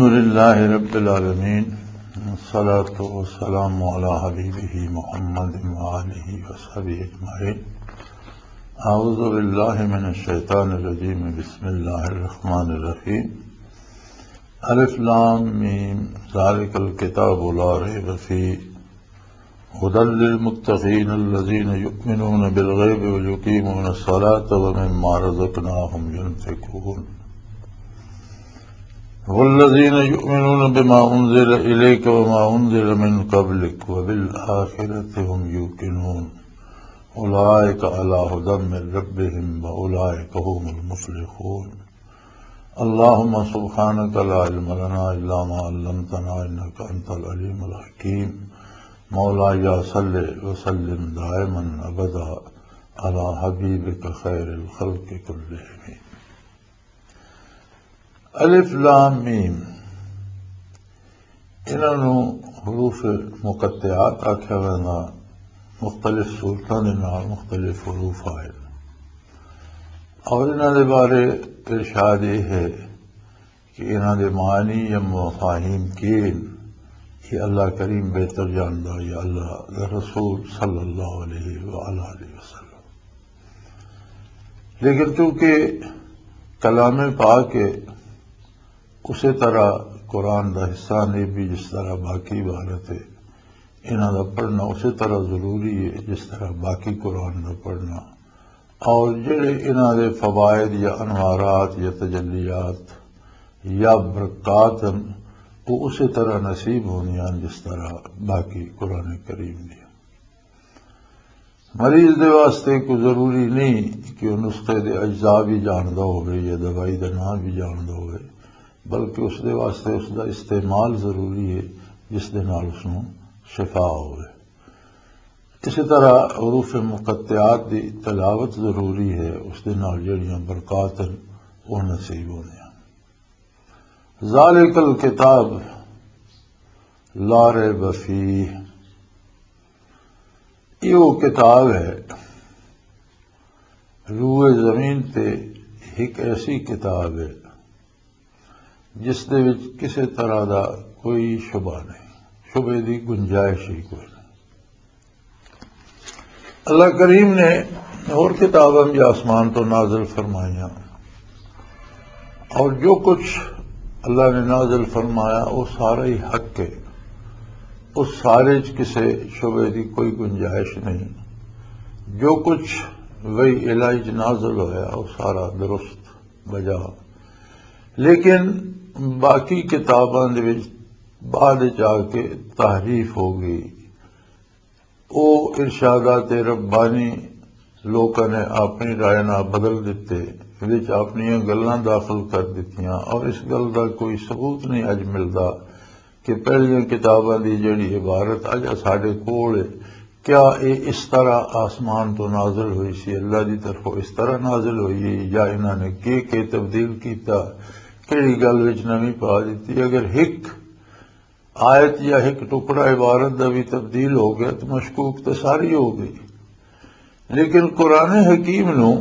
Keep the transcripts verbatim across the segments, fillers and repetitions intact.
الحمد لله رب العالمين، والصلاة والسلام على حبيبه محمد وآله وصحبه أجمعين. أعوذ بالله من الشيطان الرجيم. بسم الله الرحمن الرحيم. ألف لام ميم. ذلك الكتاب لا ريب فيه. هدى للمتقين الذين يؤمنون بالغيب ويقيمون الصلاة ومما رزقناهم ينفقون. والذين يؤمنون بما أنزل إليك وما أنزل من قبلك وبالآخرة هم يوقنون. أولئك على هدى من ربهم وأولئك هم المفلحون. اللهم سبحانك لا علم لنا إلا ما علمتنا إنك أنت العليم الحكيم. مولاي صل وسلم دائما أبدا على حبيبك خير الخلق كلهم. الف لام میم، انہاں نوں حروف مقطعات آکھیا ویندا۔ مختلف صورتاں دے نال مختلف حروف آئے، اور انہاں دے بارے ارشاد یہ ہے کہ انہاں دے معنی یا مفاہیم کی ہن، یہ اللہ کریم بہتر جاندا، یا اللہ دا رسول صلی اللہ علیہ وآلہ وسلم۔ لیکن چونکہ کلام پاک ہے، اسی طرح قرآن دا حصہ نہیں بھی، جس طرح باقی عبارت ہے، انہاں دا پڑھنا اسی طرح ضروری ہے جس طرح باقی قرآن دا پڑھنا۔ اور جڑے انہاں دے فوائد یا انوارات یا تجلیات یا برکات ہن، وہ اسی طرح نصیب ہوندیاں ہن جس طرح باقی قرآن کریم دی۔ مریض دے واسطے کوئی ضروری نہیں کہ وہ نسخے دے اجزاء بھی جاندا ہوئے یا دوائی دا نام بھی جاندا ہوئے، بلکہ اس دے واسطے اس دا استعمال ضروری ہے، جس دے نال اس نوں شفا ہوئے۔ اسی طرح حروف مقطعات دی تلاوت ضروری ہے، اس دے نال جڑیاں برکات ہن، وہ نصیب ہوندیاں۔ ذالک الکتاب لا ریب فیہ، یہ وہ کتاب ہے، روئے زمین تے ایک ایسی کتاب ہے جس دے وچ کسی طرح دا کوئی شبہ نہیں، شبے دی گنجائش ہی کوئی نہیں۔ اللہ کریم نے اور کتاباں بھی آسمان تو نازل فرمائیاں، اور جو کچھ اللہ نے نازل فرمایا، وہ سارا ہی حق ہے، اس سارے چ کسے شبے دی کوئی گنجائش نہیں۔ جو کچھ وہی الہی چ نازل ہویا، وہ سارا درست بجا۔ لیکن باقی کتاباں دے وچ بعد چ آ کے تحریف ہو گئی۔ او ارشادات ربانی لوکاں نے اپنی رائے نال بدل دتے، وچ اپنیاں گلاں داخل کر دتیاں، اور اس گل دا کوئی ثبوت نہیں اج ملدا کہ پہلیاں کتاباں دی جڑی عبارت اج ساڈے کول ہے، کیا اے اس طرح آسمان تو نازل ہوئی سی، اللہ دی طرفوں اس طرح نازل ہوئی ہے، یا انہاں نے کی کی تبدیل کیتا، کیڑی گل وچ نویں پا دتی؟ اگر ہک آیت یا ایک ٹکڑا عبارت دا بھی تبدیل ہو گیا تو مشکوک تو ساری ہو گئی۔ لیکن قرآن حکیم نو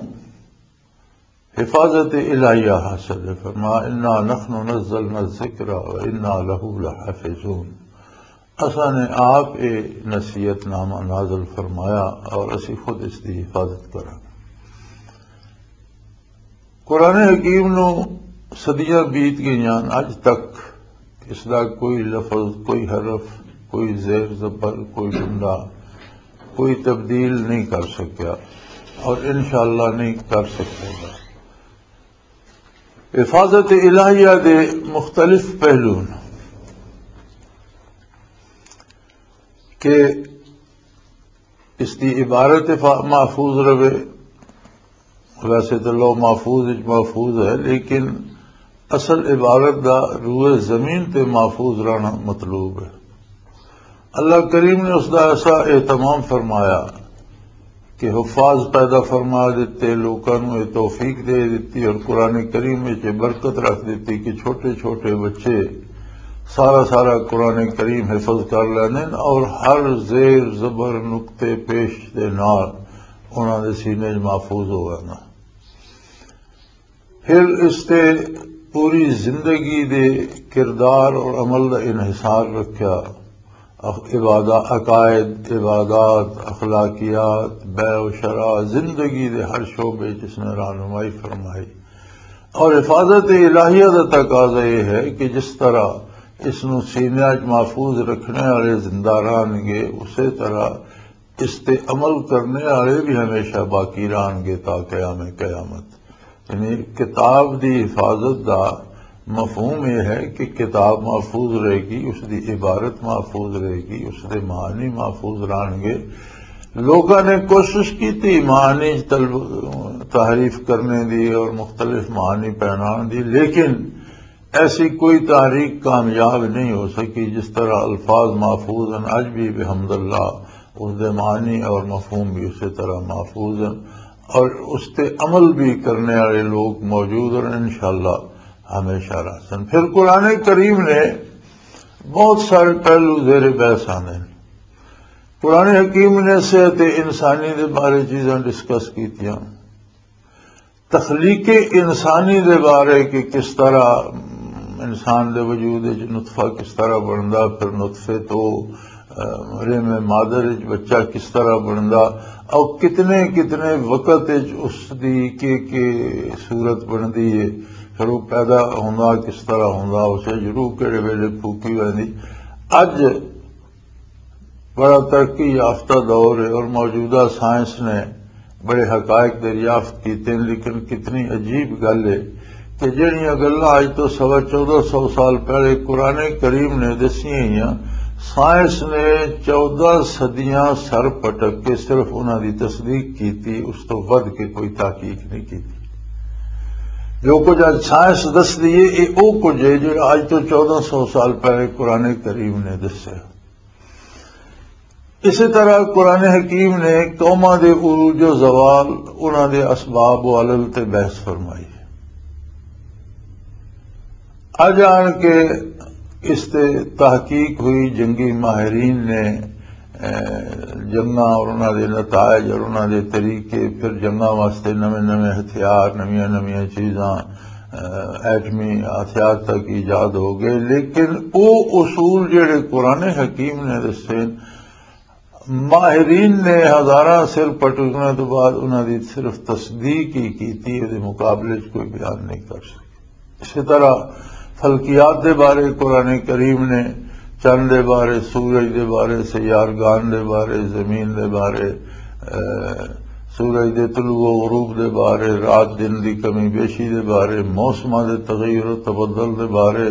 حفاظت الہیہ حاصل ہے۔ فرما، "انا نحن نزلنا الذکر و انا لہ لحافظون۔" اساں نے آپ اے نصیحت نامہ نازل فرمایا اور اسی خود اس دی حفاظت کراں۔ قرآن حکیم نو صدیاں بیت گئیاں، اج تک اس دا کوئی لفظ، کوئی حرف، کوئی زیر زبر، کوئی جملہ، کوئی تبدیل نہیں کر سکیا، اور انشاءاللہ نہیں کر سکے گا۔ حفاظت الہیہ دے مختلف پہلو نے کہ اس دی عبارت فا-، محفوظ رہے۔ ویسے تو لوح محفوظ وچ محفوظ ہے، لیکن اصل عبارت دا روئے زمین تے محفوظ رہنا مطلوب ہے۔ اللہ کریم نے اس دا ایسا اہتمام فرمایا کہ حفاظ پیدا فرما دتے، لوکاں نوں یہ توفیق دے دتی، اور قرآن کریم وچ یہ برکت رکھ دتی کہ چھوٹے چھوٹے بچے سارا سارا قرآن کریم حفظ کر لیندے نے، اور ہر زیر زبر نقطے پیش دے نال انہاں دے سینے وچ محفوظ ہو ویندا۔ پھر اس تے پوری زندگی دے کردار اور عمل دا انحصار رکھیا۔ اخ-، عبادہ-، عقائد، عبادات، اخلاقیات، بیع و شرع، زندگی دے ہر شعبے چ اس نے رہنمائی فرمائی۔ اور حفاظت الہیہ دا تقاضا یہ ہے کہ جس طرح اس نو سینے وچ محفوظ رکھنے والے زندہ رہن گے، اسی طرح اس تے عمل کرنے والے بھی ہمیشہ باقی رہن گے تا قیام قیامت۔ یعنی کتاب دی حفاظت دا مفہوم یہ ہے کہ کتاب محفوظ رہے گی، اس دی عبارت محفوظ رہے گی، اس دے معنی محفوظ رہن گے۔ لوگاں نے کوشش کی تھی معنی طلب-، تحریف کرنے دی اور مختلف معنی پہنان دی، لیکن ایسی کوئی تحریک کامیاب نہیں ہو سکی۔ جس طرح الفاظ محفوظ ہیں، اج بھی بحمد اللہ اس دے معنی اور مفہوم بھی اسی طرح محفوظ ہیں، اور اس تے عمل بھی کرنے والے لوگ موجود ہیں، انشاءاللہ ہمیشہ رہسن۔ پھر قرآن کریم نے بہت سارے پہلو زیر بحث آندے ہیں۔ قرآن حکیم نے صحت انسانی دے بارے چیزاں ڈسکس کیتیاں، تخلیق انسانی دے بارے کہ کس طرح انسان دے وجود وچ نطفہ کس طرح بندا، پھر نطفے تو، آ، رحم مادر وچ بچہ کس طرح بندا، اور کتنے کتنے وقت وچ اس دی کہ کہ صورت بندی ہے، پھر وہ پیدا ہوندا کس طرح ہوندا، اسے جروح کہڑے ویلے پھوکی ویندی۔ اج بڑا ترقی یافتہ دور ہے اور موجودہ سائنس نے بڑے حقائق دریافت کیتے ہیں، لیکن کتنی عجیب گل ہے کہ جہڑیاں گلاں اج تو سوا چودہ سو سال پہلے قرآن کریم نے دسیاں ہوئیاں، سائنس نے چودہ صدیاں سر پٹک کے صرف انہاں دی تصدیق کیتی، اس تو ودھ کے کوئی تحقیق نہیں کیتی۔ جو کچھ اج سائنس دسدی ہے، یہ او کچھ ہے جو اج تو چودہ سو سال پہلے قرآن کریم نے دسیا۔ اسی طرح قرآن حکیم نے قوماں دے عروج و زوال، انہاں دے اسباب و علل تے بحث فرمائی۔ اج آن کے اس تے تحقیق ہوئی، جنگی ماہرین نے، اے، جنگاں اور انہاں دے نتائج اور انہاں دے طریقے، پھر جنگاں واسطے نویں نویں ہتھیار، نویاں نویاں چیزاں، ایٹمی ہتھیار تک ایجاد ہو گئے، لیکن او اصول جڑے قرآن حکیم نے دسے، ماہرین نے ہزاراں سر پٹکنے تو بعد انہاں دی صرف تصدیق ہی کیتی، دے مقابلے چ کوئی بیان نہیں کر سکے۔ اسی طرح فلکیات دے بارے قرآن کریم نے، چند دے بارے، سورج دے بارے، سیارگان دے بارے، زمین دے بارے، اے، سورج دے طلوع و غروب دے بارے، رات دن دی کمی بیشی دے بارے، موسماں دے تغیر و تبدل دے بارے،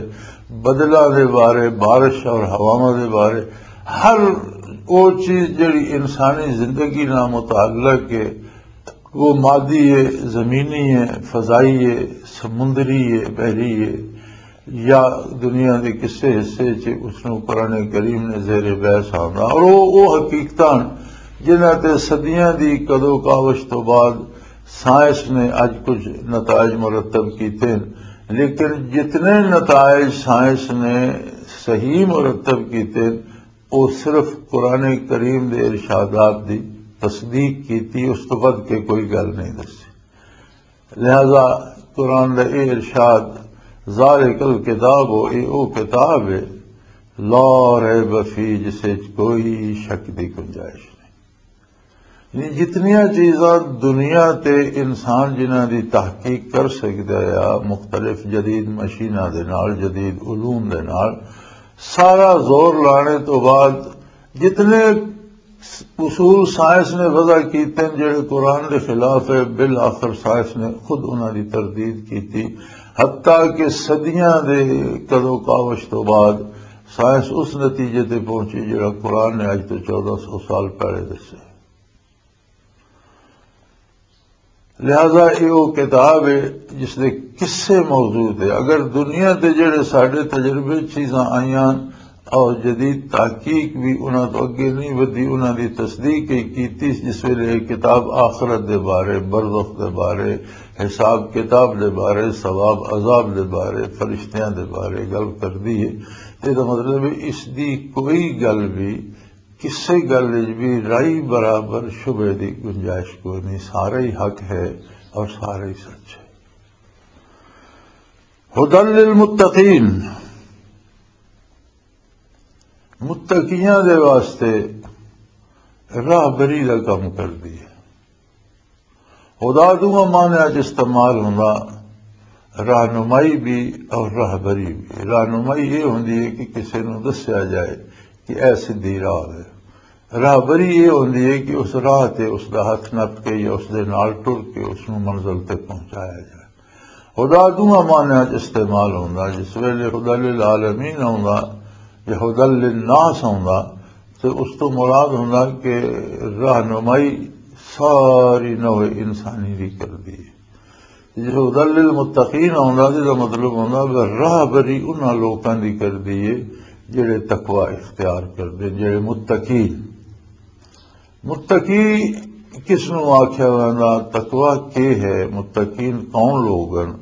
بدلاں دے بارے، بارش اور ہواواں دے بارے، ہر وہ چیز جڑی انسانی زندگی نال متعلق ہے، وہ مادی ہے، زمینی ہے، فضائی ہے، سمندری ہے، بحری ہے، یا دنیا دے کسے حصے چ، اس نوں قرآن کریم نے زیر بحث آندا۔ اور وہ، وہ حقیقتاں جنہاں تے صدیاں دی کدو کاوش تو بعد سائنس نے اج کچھ نتائج مرتب کیتے ہیں، لیکن جتنے نتائج سائنس نے صحیح مرتب کیتے ہیں، وہ صرف قرآن کریم دے ارشادات دی تصدیق کیتی، اس تو ود کے کوئی گل نہیں دسی۔ لہذا قرآن دا اے ارشاد، "ذالک الکتاب"، اے او کتاب ہے، "لا ریب فیہ"، جس وچ کوئی شک دی گنجائش نہیں۔ یعنی جتنیاں چیزاں دنیا تے انسان جنہاں دی تحقیق کر سکدا ہے، مختلف جدید مشیناں دے نال، جدید علوم دے نال، سارا زور لانے تو بعد جتنے اصول سائنس نے وضع کیتے ہیں، جڑے قرآن دے خلاف ہے، بالآخر سائنس نے خود انہاں دی تردید کیتی، حتیٰ کہ صدیاں دے کدو کاوش تو بعد سائنس اس نتیجے تے پہنچی، جڑا قرآن نے اج تو چودہ سو سال پہلے دسے۔ لہذا یہ وہ کتاب ہے جس دے قصے موجود ہے۔ اگر دنیا تے جڑے ساڈے تجربے چیزاں آئیاں اور جدید تحقیق بھی انہاں تو اگے نہیں ودی، انہاں دی تصدیق ہی کیتی، جس ویلے یہ کتاب آخرت دے بارے، برزخ دے بارے، حساب کتاب دے بارے، ثواب عذاب دے بارے، فرشتیاں دے بارے گل کردی ہے، تے دا مطلب ہے اس دی کوئی گل بھی، کسے گل وچ بھی رائی برابر شبہے دی گنجائش کوئی نہیں، سارا ہی حق ہے اور سارا ہی سچ ہے۔ ہدی للمتقین، متقیاں دے واسطے راہبری دا کم کردی ہے۔ ہدا دونوں معنیٰ چ استعمال ہوندا، رہنمائی بھی اور راہبری بھی۔ رہنمائی یہ ہوندی ہے کہ کسے نوں دسیا جائے کہ اے سدھی راہ ہے۔ راہبری یہ ہوندی ہے کہ اس راہ تے اس دا ہتھ نپ کے یا اس دے نال ٹر کے اس نوں منزل تے پہنچایا جائے۔ ہدا دونوں معنیٰ چ استعمال ہوندا، جس ویلے ہدی للعالمین ہوندا یا ہدی للناس ہوندا، تے اس تو مراد ہوندا کہ رہنمائی ساری نوع انسانی دی کردی ہے۔ جس ہدی للمتقین ہوندا، جس دا مطلب ہوندا کہ راہبری انہاں لوکاں دی کردی ہے جڑے تقوی اختیار کردے، جڑے متقین۔ متقی کس نوں آکھیا ویندا؟ تقوی کی ہے؟ متقین کون لوگ ہیں؟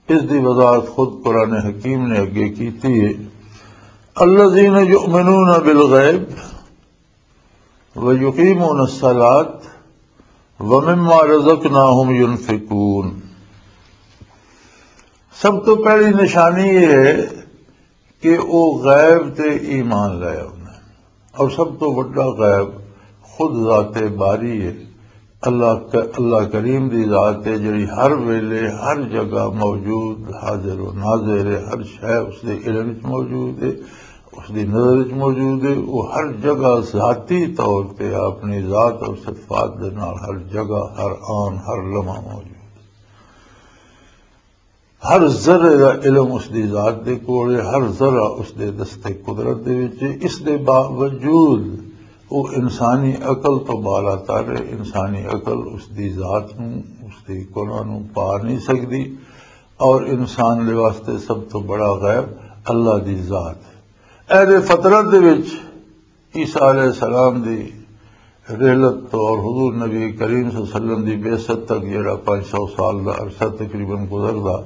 اس دی وضاحت خود قرآن حکیم نے اگے کیتی ہے، الذین یؤمنون بالغیب ویقیمون الصلاۃ ومما رزقناہم ینفقون۔ سب تو پہلی نشانی یہ ہے کہ وہ غیب تے ایمان لے آؤندے۔ اور سب تو وڈا غیب خود ذات باری ہے۔ اللہ ک-، اللہ کریم دی ذات ہے، جڑی ہر ویلے ہر جگہ موجود، حاضر و ناظر ہے۔ ہر شے اس دے علم وچ موجود ہے، اس دی نظر وچ موجود ہے۔ وہ ہر جگہ ذاتی طور تے اپنی ذات اور صفات دے نال ہر جگہ، ہر آن، ہر لمحہ موجود ہے۔ ہر ذرے دا علم اس دی ذات دے کول ہے، ہر ذرہ اس دے دستے قدرت دے وچ ہے۔ اس دے باوجود وہ انسانی عقل تو بالا تر ہے۔ انسانی عقل اس دی ذات نوں، اس دی کنہ نوں پا نہیں سکدی، اور انسان دے واسطے سب تو بڑا غیب اللہ دی ذات ہے۔ اہل فطرت دے وچ عیسیٰ علیہ السلام دی رحلت تو اور حضور نبی کریم صلی اللہ علیہ وسلم دی بعثت تک جڑا پانچ سو سال دا عرصہ تقریباً گزردا،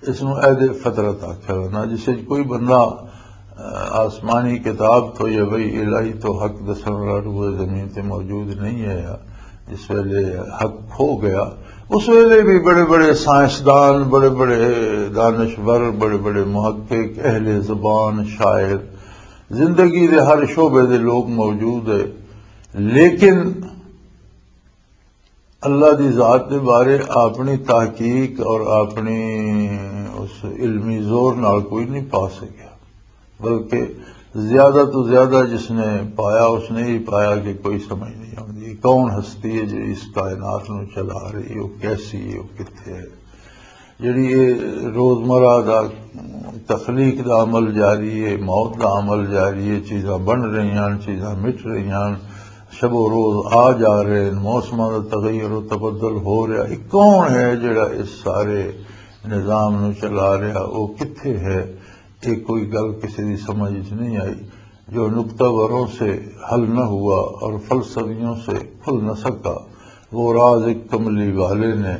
اس نوں عہد فطرت آکھیا ویندا، جس وچ کوئی بندہ، آ، آسمانی کتاب تو یا وحی الہی تو حق دسن والا روئے زمین تے موجود نہیں ہے۔ جس ویلے حق کھو گیا، اس ویلے بھی بڑے بڑے سائنسدان، بڑے بڑے دانشور، بڑے بڑے محقق، اہل زبان، شاعر، زندگی دے ہر شعبے دے لوگ موجود ہے، لیکن اللہ دی ذات دے بارے اپنی تحقیق اور اپنی اس علمی زور نال کوئی نہیں پا سکیا، بلکہ زیادہ تو زیادہ جس نے پایا، اس نے ہی پایا کہ کوئی سمجھ نہیں آتی کون ہستی ہے جو اس کائنات نو چلا رہی ہے، وہ کیسی ہے، وہ کتھے ہے۔ جڑی یہ روزمرہ دا تخلیق دا عمل جاری ہے، موت دا عمل جاری ہے، چیزاں بن رہی ہیں، چیزاں مٹ رہی ہیں، شب و روز آ جا رہے ہیں، موسماں دا تغیر و تبدل ہو رہا، یہ کون ہے جڑا اس سارے نظام نو چلا رہا؟ وہ کتھے ہے؟ یہ کوئی گل کسی دی سمجھ وچ نہیں آئی۔ جو نقطہ وروں سے حل نہ ہوا اور فلسفیوں سے کھل نہ سکا، وہ راز ایک کملی والے نے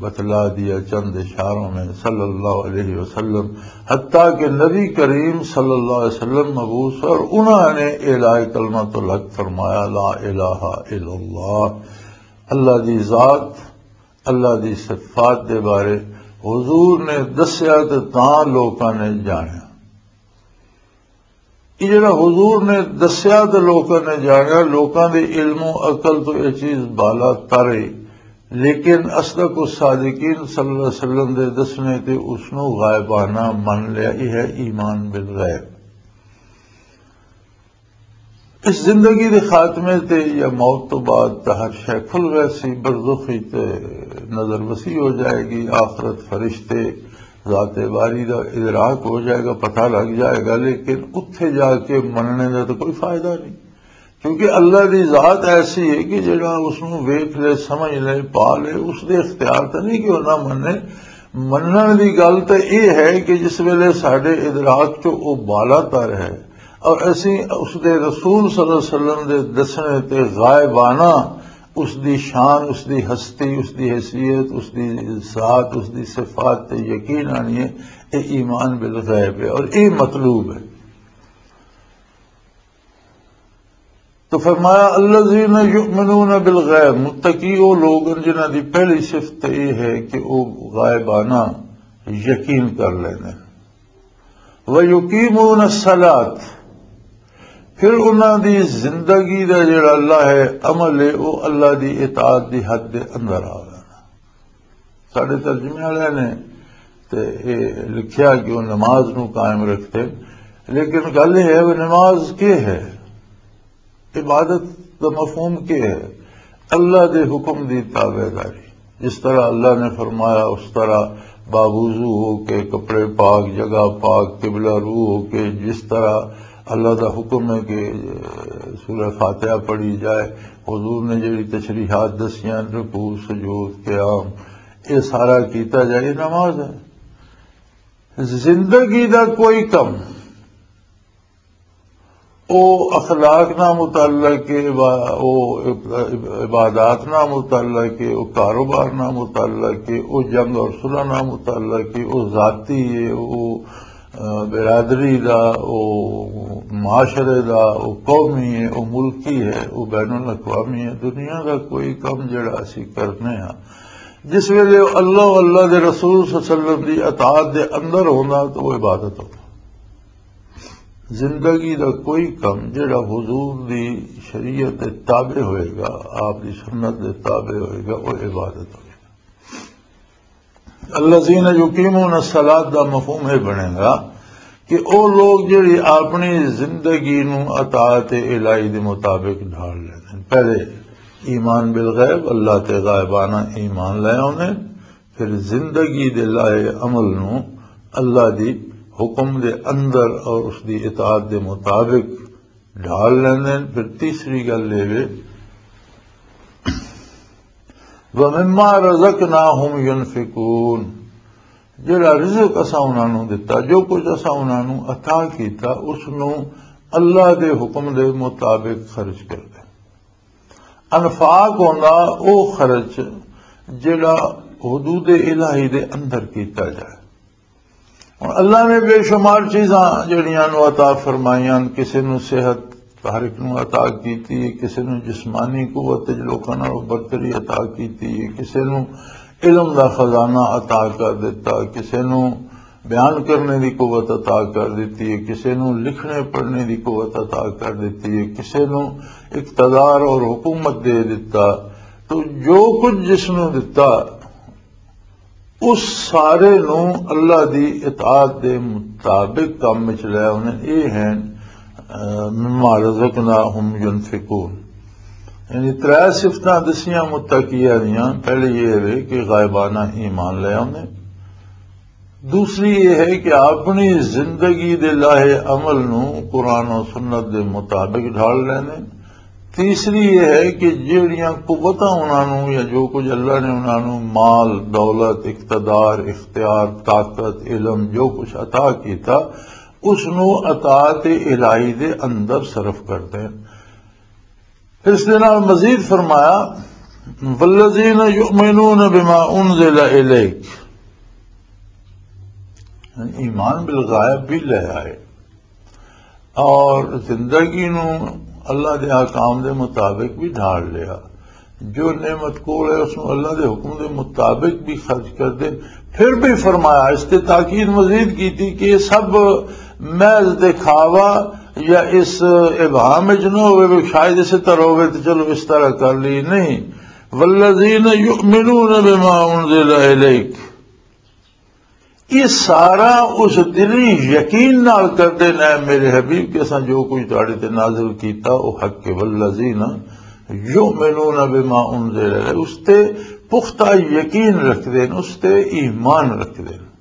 بتلا دیا چند اشاروں میں، صلی اللہ علیہ وسلم، حتیٰ کہ نبی کریم صلی اللہ علیہ وسلم مبعوث اور انہوں نے اعلائے کلمۃ الحق فرمایا، لا الہ الا اللہ۔ اللہ دی ذات، اللہ دی صفات دے بارے حضور نے دسیا تے تاں لوکاں نے جانیا۔ یہ جڑا حضور نے دسیا تے لوکاں نے جانیا، لوکاں دے علم و عقل تو یہ چیز بالا تر ہے، لیکن اصدق الصادقین صلی اللہ علیہ وسلم دے دسنے تے اس نو غائبانہ من لیا۔ یہ ہے ایمان بالغیب۔ اس زندگی دے خاتمے تے یا موت تو بعد تاں ہر شے کھل گیا سی، برزخی تے نظر وسیع ہو جائے گی، آخرت، فرشتے، ذات باری دا ادراک ہو جائے گا، پتہ لگ جائے گا، لیکن اتھے جا کے مننے دا تو کوئی فائدہ نہیں، کیونکہ اللہ دی ذات ایسی ہے کہ جڑا اس نوں ویکھ لے، سمجھ لے، پا لے، اس دے اختیار تے نہیں کہ وہ نہ منے۔ منن دی گل تے یہ ہے کہ جس ویلے ساڈے ادراک چوں وہ بالا تر ہے اور اسی اس دے رسول صلی اللہ علیہ وسلم دے دسنے تے غائبانہ اس دی شان، اس دی ہستی، اس دی حیثیت، اس دی ذات، اس دی صفات تے یقین آنی ہے، یہ ایمان بالغیب ہے اور یہ مطلوب ہے۔ تو فرمایا، الذین یؤمنون بالغیب، متقی وہ لوگ ہیں جنہاں دی پہلی صفت یہ ہے کہ وہ غائبانہ یقین کر لیندے۔ وَيُقِيمُونَ الصَّلَاةَ، پھر انہاں دی زندگی دا جڑا اللہ ہے، عمل ہے، وہ اللہ دی اطاعت دی حد دے اندر آ گیا۔ ساڈے ترجمے والے نے تے اے لکھیا کہ وہ نماز نو قائم رکھتے، لیکن گل یہ ہے، وہ نماز کی ہے؟ عبادت دا مفہوم کیا ہے؟ اللہ دے حکم دی تابع داری۔ جس طرح اللہ نے فرمایا، اس طرح باوضو ہو کے، کپڑے پاک، جگہ پاک، قبلہ رو ہو کے، جس طرح اللہ دا حکم ہے کہ سورہ فاتحہ پڑھی جائے، حضور نے جڑی تشریحات دسیاں، رکوع، سجود، قیام، یہ سارا کیتا جائے، یہ نماز ہے۔ زندگی دا کوئی کم، او اخلاق نہ متعلق ہے، عبا-، او عب-، عبادات نہ متعلق ہے، او کاروبار نہ متعلق ہے، او جنگ اور صلح نہ متعلق ہے، او ذاتی ہے، او، آ، برادری دا، او معاشرے دا، او قومی ہے، او ملکی ہے، او بین الاقوامی ہے۔ دنیا دا کوئی کم جڑا اسی کرنے ہاں، جس ویلے اللہ، اللہ دے رسول صلی اللہ علیہ وسلم دی اطاعت دے اندر ہوندا تو وہ عبادت ہوندا۔ زندگی دا کوئی کم جڑا حضور دی شریعت دے تابع ہوئے گا، آپ دی سنت دے تابع ہوئے گا، وہ عبادت ہوئے گا۔ الذین یقیمون الصلاۃ دا مفہوم یہ بنے گا کہ او لوگ جڑی اپنی زندگی نو اطاعت الہی دے مطابق ڈھال لیندے۔ پہلے ایمان بالغیب، اللہ تے غائبانہ ایمان لے آوندے، پھر زندگی دے لائے عمل نو اللہ دی حکم دے اندر اور اس دی اطاعت دے مطابق ڈھال لیندے۔ پھر تیسری گل یہ وے، وَمِمَّا رَزَقْنَاهُمْ يُنْفِقُونَ، جڑا رزق اساں انہاں نوں دتا، جو کچھ اساں انہاں نوں عطا کیتا، اس نوں اللہ دے حکم دے مطابق خرچ کر دے۔ انفاق ہوندا او خرچ جڑا حدود الہی دے اندر کیتا جائے۔ ہن اللہ نے بے شمار چیزاں جڑیاں نوں عطا فرمائیاں، کسے نوں صحت ہر ایک نوں عطا کیتی ہے، کسے نوں جسمانی قوت وچ لوکاں نال برتری عطا کیتی ہے، کسے نوں علم دا خزانہ عطا کر دتا، کسے نوں بیان کرنے دی قوت عطا کر دتی ہے، کسے نوں لکھنے پڑھنے دی قوت عطا کر دتی ہے، کسے نوں اقتدار اور حکومت دے دتا۔ تو جو کچھ جس نوں دتا، اس سارے نوں اللہ دی اطاعت دے مطابق کم وچ لے آنے۔ یہ ہیں، آ، مما رزقناہم ینفقون۔ یعنی ترے صفتاں دسیاں متقیہ دیاں۔ پہلی یہ ہے کہ غائبانہ ایمان لے آنے۔ دوسری یہ ہے کہ اپنی زندگی دے لاہے عمل نوں قرآن و سنت دے مطابق ڈھال لینے۔ تیسری یہ ہے کہ جیڑیاں قوتاں انہاں نوں یا جو کچھ اللہ نے انہاں نوں مال، دولت، اقتدار، اختیار، طاقت، علم، جو کچھ عطا کیتا، اس نوں اطاعت الہی دے اندر صرف کر دیں۔ پھر اس دے نال مزید فرمایا، والذین یؤمنون بما انزل الیک، ایمان بالغیب بھی لے آئے اور زندگی نو اللہ دے احکام دے مطابق بھی ڈھال لیا۔ جو نعمت کول ہے، اس نو اللہ دے حکم دے مطابق بھی خرچ کر دے۔ پھر بھی فرمایا، اس تے تاکید مزید کی تھی کہ یہ سب محض دکھاوا یا اس ابہام وچ نہ ہوئے، وہ شاید اسی طرح ہوئے تو چلو اس طرح کر لی، نہیں۔ والذین یؤمنون بما انزل الیک، یہ سارا اس دلی یقین نال کردے نے، میرے حبیب، کہ اساں جو کچھ تہاڈے تے نازل کیتا، او حق ہے۔ والذین یؤمنون بما انزل الیک، اس تے پختہ یقین رکھدے نے، اس تے ایمان رکھدے نے۔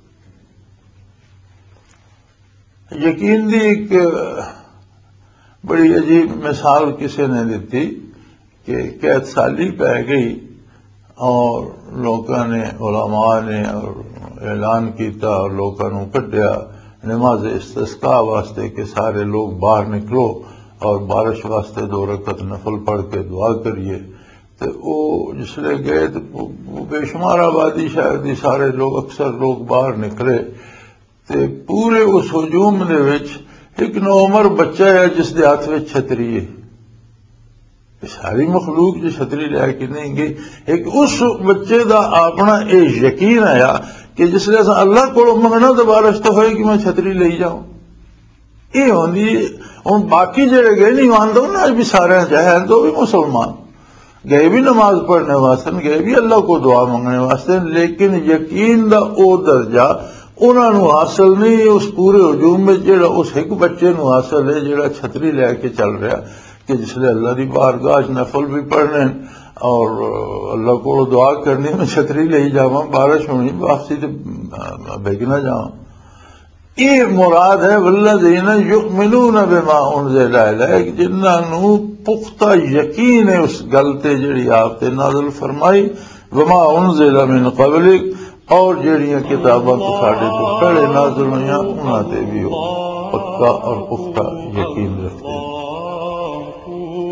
یقین دی ایک بڑی عجیب مثال کسی نے دتی کہ قحط سالی پی گئی اور لوکاں نے، علماء نے اور اعلان کیتا اور لوکاں نوں کڈیا نماز استسقاء واسطے کہ سارے لوگ باہر نکلو اور بارش واسطے دو رکعت نفل پڑھ کے دعا کریے۔ تے او جس لے گئے تے وہ بے شمار آبادی شہر دی، سارے لوگ، اکثر لوگ باہر نکلے۔ تے پورے اس ہجوم دے وچ ایک نوعمر بچہ ہے جس دے ہاتھ وچ چھتری ہے۔ یہ ساری مخلوق جو چھتری لے کے نہیں گئی، ایک اس بچے دا اپنا یہ یقین آیا کہ جس لے اساں اللہ کولوں منگنا تو بارش تو ہوئے کہ میں چھتری لئی جاؤں۔ یہ ہوندی۔ ہن باقی جڑے گئے نہیں مانتے، انہاں وچ بھی سارے جاہل تو بھی مسلمان، گئے بھی نماز پڑھنے واسطے، گئے بھی اللہ کو دعا منگنے واسطے، لیکن یقین دا او درجہ انہاں نوں حاصل نہیں اس پورے ہجوم وچ جڑا اس ایک بچے نوں حاصل ہے، جڑا چھتری لے کے چل رہا، کہ جس لے اللہ دی بارگاہ وچ نفل بھی پڑھنے اور اللہ کو دعا کرنی، میں چھتری لے ہی جاواں، بارش ہونی، واپسی تے بھگ نہ جاواں۔ یہ مراد ہے، والذین یؤمنون بما انزل الیک، جنہاں نوں پختہ یقین ہے اس گل تے جڑی آپ تے نازل فرمائی، وما انزل من قبلک، اور جڑیاں کتاباں تو ساڈے تو پہلے نازل ہوئیاں، انہاں تے بھی وہ پکا اور پختہ یقین رکھتے ہیں۔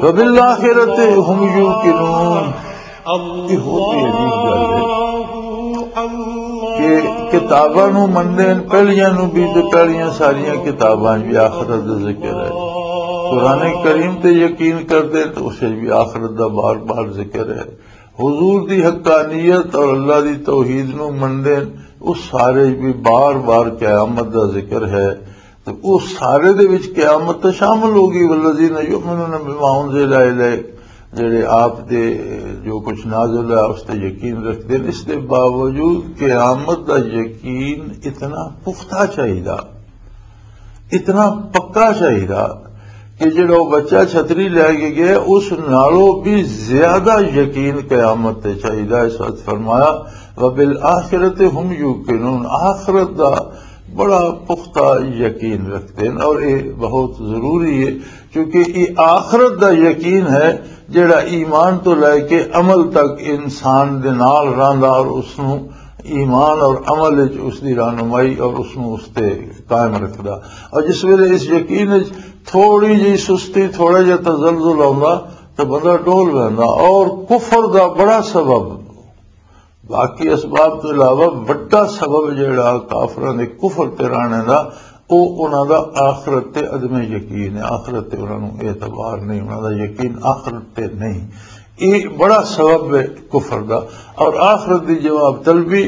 وبالآخرۃ هم یوقنون۔ یہ ہوتی عجیب گل ہے کہ کتاباں نو مندے ہیں، پہلیاں نو بھی، تے پہلیاں ساریاں کتاباں بھی آخرت دا ذکر ہے۔ قرآن کریم تے یقین کردے ہیں تو اسے بھی آخرت دا بار بار ذکر ہے۔ حضور دی حقانیت اور اللہ دی توحید نو مندے ہیں، اس سارے بھی بار بار قیامت دا ذکر ہے۔ تو اس سارے دے وچ قیامت تے شامل ہو گئی، والذین یؤمنون بما انزل الیک، جڑے آپ دے جو کچھ نازل ہے اس تے یقین رکھتے ہیں۔ اس دے باوجود قیامت دا یقین اتنا پختہ چاہیدا، اتنا پکا چاہیدا کہ جڑا وہ بچہ چھتری لے کے گیا، اس نالوں بھی زیادہ یقین قیامت تے چاہیدا۔ اس وقت فرمایا، وبالآخرۃ هم یوقنون، آخرت دا بڑا پختہ یقین رکھتے ہیں، اور یہ بہت ضروری ہے، کیونکہ یہ آخرت دا یقین ہے جڑا ایمان تو لے کے عمل تک انسان دے نال رہندا اور اس نوں ایمان اور عمل وچ اس دی رہنمائی اور اس نوں اس تے قائم رکھدا۔ اور جس ویلے اس یقین وچ تھوڑی جی سستی، تھوڑا جہا تزلزل آوندا، تو بندہ ڈول ویندا۔ اور کفر دا بڑا سبب، باقی اسباب تو علاوہ وڈا سبب جڑا کافراں دے کفر تے رہنے دا، او انہاں دا آخرت تے عدم یقین ہے، آخرت تے انہاں نوں اعتبار نہیں، انہاں دا یقین آخرت تے نہیں۔ یہ بڑا سبب ہے کفر دا۔ اور آخرت دی جواب طلبی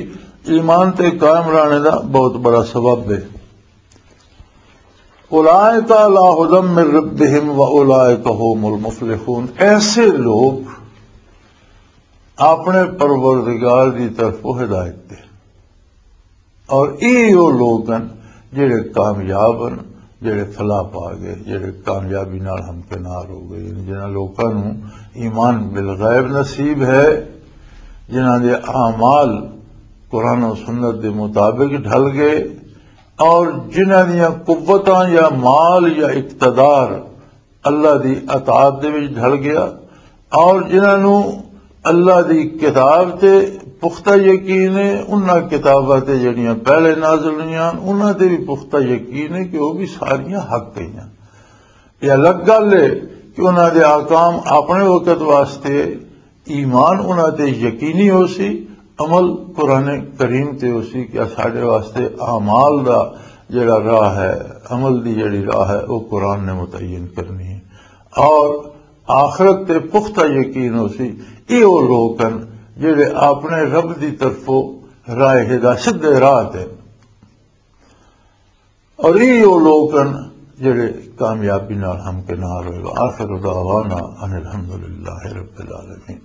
ایمان تے قائم رہنے دا بہت بڑا سبب ہے۔ اولئک علی ھدی من ربہم و اولئک ھم المفلحون۔ ایسے لوگ اپنے پروردگار دی طرف ہدایت دے، اور یہ وہ لوگ ہیں جڑے کامیاب ہیں، جڑے فلاح پا گئے، جڑے کامیابی نال ہمکنار ہو گئے، یعنی جنہاں لوکاں نوں ایمان بالغیب نصیب ہے، جنہاں دے اعمال قرآن و سنت دے مطابق ڈھل گئے، اور جنہاں دیاں قوتاں یا مال یا اقتدار اللہ دی اطاعت دے وچ ڈھل گیا، اور جنہاں نوں اللہ دی کتاب تے پختہ یقین ہے، انہاں کتاباں تے جڑیاں پہلے نازل ہوئیاں، انہاں تے بھی پختہ یقین ہے کہ وہ بھی ساریاں حق گئیاں۔ یہ الگ گل ہے کہ انہاں دے احکام اپنے وقت واسطے ایمان انہاں تے یقینی ہو سی، عمل قرآن کریم تے ہو سی کہ ساڈے واسطے اعمال دا جڑا راہ ہے، عمل دی جڑی راہ ہے، وہ قرآن نے متعین کرنی ہے۔ اور آخرت تے پختہ یقین ہو سی، یہ وہ لوگ ہیں جڑے اپنے رب دی طرفوں راہ ہدا، سدھے راہ تے۔ اور یہ وہ لوگ ہیں جڑے کامیابی نال ہمکنار ہوئے۔ آخر دعوانا ان الحمدللہ رب العالمین۔